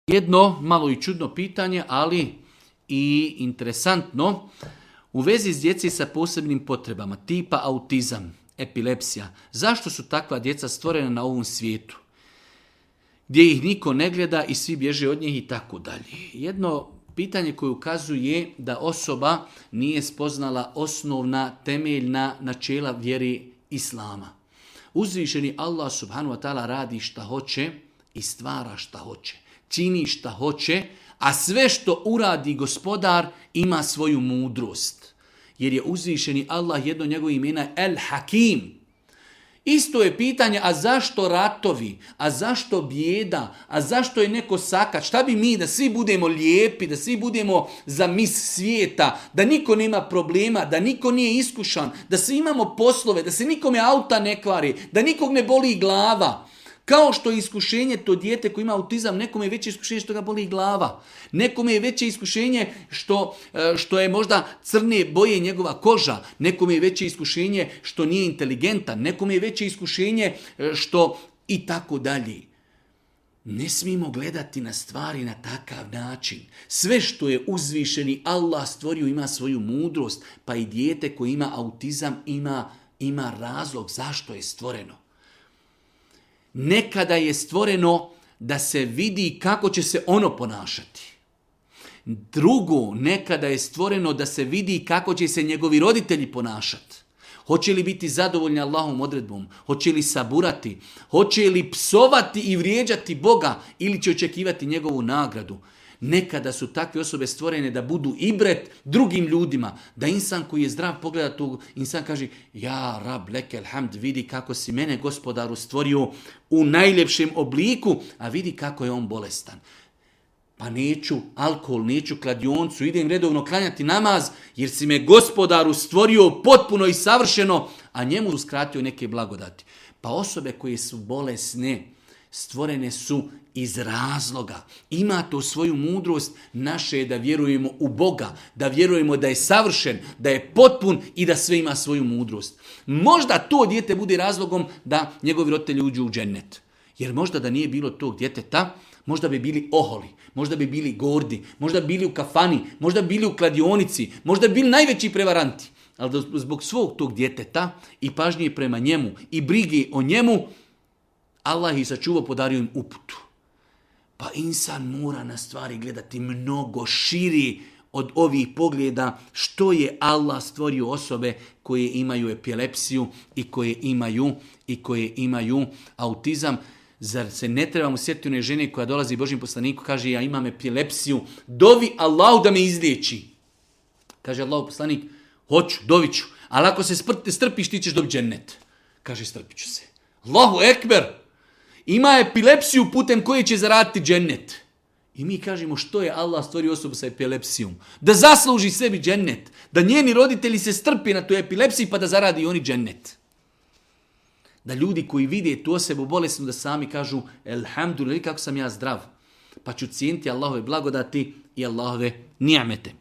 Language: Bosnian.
Jedno malo i čudno pitanje, ali i interesantno, u vezi s djeci sa posebnim potrebama, tipa autizam, epilepsija, zašto su takva djeca stvorena na ovom svijetu? Gdje ih niko ne gleda i svi bježe od njih i tako dalje. Jedno pitanje koje ukazuje da osoba nije spoznala osnovna temeljna načela vjeri Islama. Uzvišeni Allah subhanahu wa ta'ala radi šta hoće i stvara šta hoće. Čini šta hoće, a sve što uradi gospodar ima svoju mudrost. Jer je uzvišeni Allah, jedno njegovo imena El Hakim. Isto je pitanje, a zašto ratovi, a zašto bijeda, a zašto je neko sakat, šta bi mi da svi budemo lijepi, da svi budemo za mis svijeta, da niko nema problema, da niko nije iskušan, da svi imamo poslove, da se nikome auta ne kvari, da nikog ne boli glava. Kao što je iskušenje to dijete koji ima autizam, nekome je veće iskušenje što ga boli glava. Nekome je veće iskušenje što je možda crne boje njegova koža. Nekome je veće iskušenje što nije inteligentan. Nekome je veće iskušenje što i tako dalje. Ne smijemo gledati na stvari na takav način. Sve što je uzvišeni Allah stvorio ima svoju mudrost, pa i dijete koji ima autizam ima razlog zašto je stvoreno. Nekada je stvoreno da se vidi kako će se ono ponašati. Drugo, nekada je stvoreno da se vidi kako će se njegovi roditelji ponašati. Hoće li biti zadovoljni Allahovom odredbom? Hoće li saburati? Hoće li psovati i vrijeđati Boga ili će očekivati njegovu nagradu? Nekada su takve osobe stvorene da budu ibret drugim ljudima. Da insan koji je zdrav pogleda tu, insan kaže, ja rab lekel hamd, vidi kako si mene gospodaru stvorio u najljepšem obliku, a vidi kako je on bolestan. Pa neću alkohol, neću kladioncu, idem redovno klanjati namaz, jer si me gospodaru stvorio potpuno i savršeno, a njemu uskratio neke blagodati. Pa osobe koje su bolesne, stvorene su iz razloga. Ima to svoju mudrost, naše je da vjerujemo u Boga, da vjerujemo da je savršen, da je potpun i da sve ima svoju mudrost. Možda to dijete bude razlogom da njegovi roditelji uđu u džennet. Jer možda da nije bilo tog djeteta, možda bi bili oholi, možda bi bili gordi, možda bi bili u kafani, možda bi bili u kladionici, možda bi bili najveći prevaranti. Ali zbog svog tog djeteta i pažnje prema njemu i brige o njemu, Allah ih sačuvao, podario im uputu. Pa insan mora na stvari gledati mnogo širi od ovih pogleda što je Allah stvorio osobe koje imaju epilepsiju i koje imaju autizam. Zar se ne trebamo sjetiti one žene koja dolazi Božjem poslaniku, kaže ja imam epilepsiju, dovi Allahu da me izliječi. Kaže Allahu poslanik, hoću, doviću, ali ako se strpiš ti ćeš dobiti džennet. Kaže strpit ću se. Allahu ekber! Ima epilepsiju putem koje će zaraditi džennet. I mi kažemo što je Allah stvorio osobu sa epilepsijom. Da zasluži sebi džennet. Da njeni roditelji se strpi na tu epilepsiji pa da zaradi oni džennet. Da ljudi koji vide tu osobu bolesnu da sami kažu elhamdulillah kako sam ja zdrav. Pa ću cijeniti Allahove blagodati i Allahove nijamete.